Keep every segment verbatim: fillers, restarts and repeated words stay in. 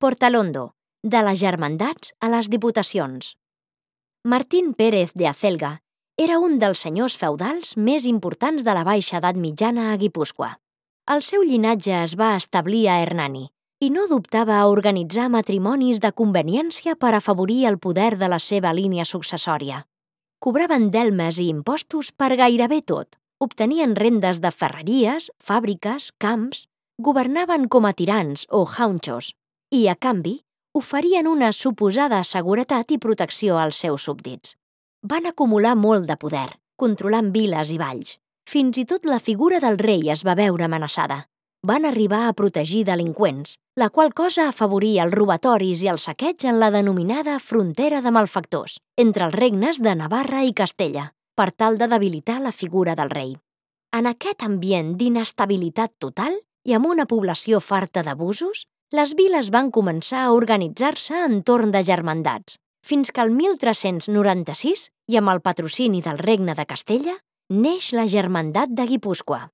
Portalondo, de les germandats a les diputacions. Martín Pérez de Acelga era un dels senyors feudals més importants de la Baixa Edat Mitjana a Guipúscoa. El seu llinatge es va establir a Hernani i no dubtava a organitzar matrimonis de conveniència per afavorir el poder de la seva línia successòria. Cobraven delmes i impostos per gairebé tot, obtenien rendes de ferreries, fàbriques, camps, governaven com a tirans o jaunchos i, a canvi, oferien una suposada seguretat i protecció als seus súbdits. Van acumular molt de poder, controlant viles i valls. Fins i tot la figura del rei es va veure amenaçada. Van arribar a protegir delinqüents, la qual cosa afavoria els robatoris i el saqueig en la denominada frontera de malfactors, entre els regnes de Navarra i Castella, per tal de debilitar la figura del rei. En aquest ambient d'inestabilitat total i amb una població farta d'abusos, les viles van començar a organitzar-se entorn de germandats, fins que el mil tres-cents noranta-sis, i amb el patrocini del Regne de Castella, neix la Germandat de Guipúscoa.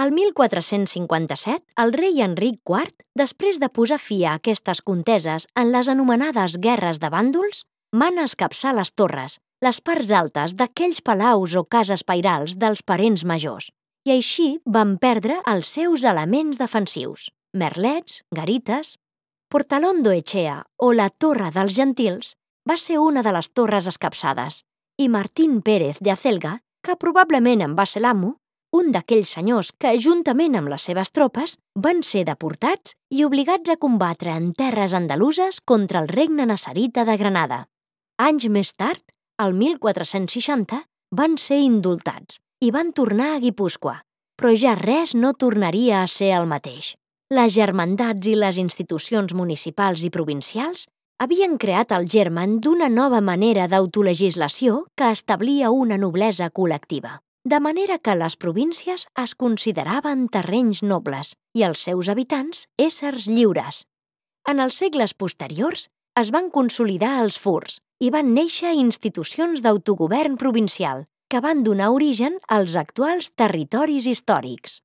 Al mil quatre-cents cinquanta-set, el rei Enric quart, després de posar fi a aquestes conteses en les anomenades Guerres de Bàndols, mana escapçar les torres, les parts altes d'aquells palaus o cases pairals dels parents majors, i així van perdre els seus elements defensius, merlets, garites. Portalondo Echea, o la Torre dels Gentils, va ser una de les torres escapçades, i Martín Pérez de Acelga, que probablement en va ser l'amo, un d'aquells senyors que, juntament amb les seves tropes, van ser deportats i obligats a combatre en terres andaluses contra el regne nassarita de Granada. Anys més tard, el mil quatre-cents seixanta, van ser indultats i van tornar a Guipúscoa, però ja res no tornaria a ser el mateix. Les germandats i les institucions municipals i provincials havien creat el germen d'una nova manera d'autolegislació que establia una noblesa col·lectiva, de manera que les províncies es consideraven terrenys nobles i els seus habitants éssers lliures. En els segles posteriors es van consolidar els furs i van néixer institucions d'autogovern provincial que van donar origen als actuals territoris històrics.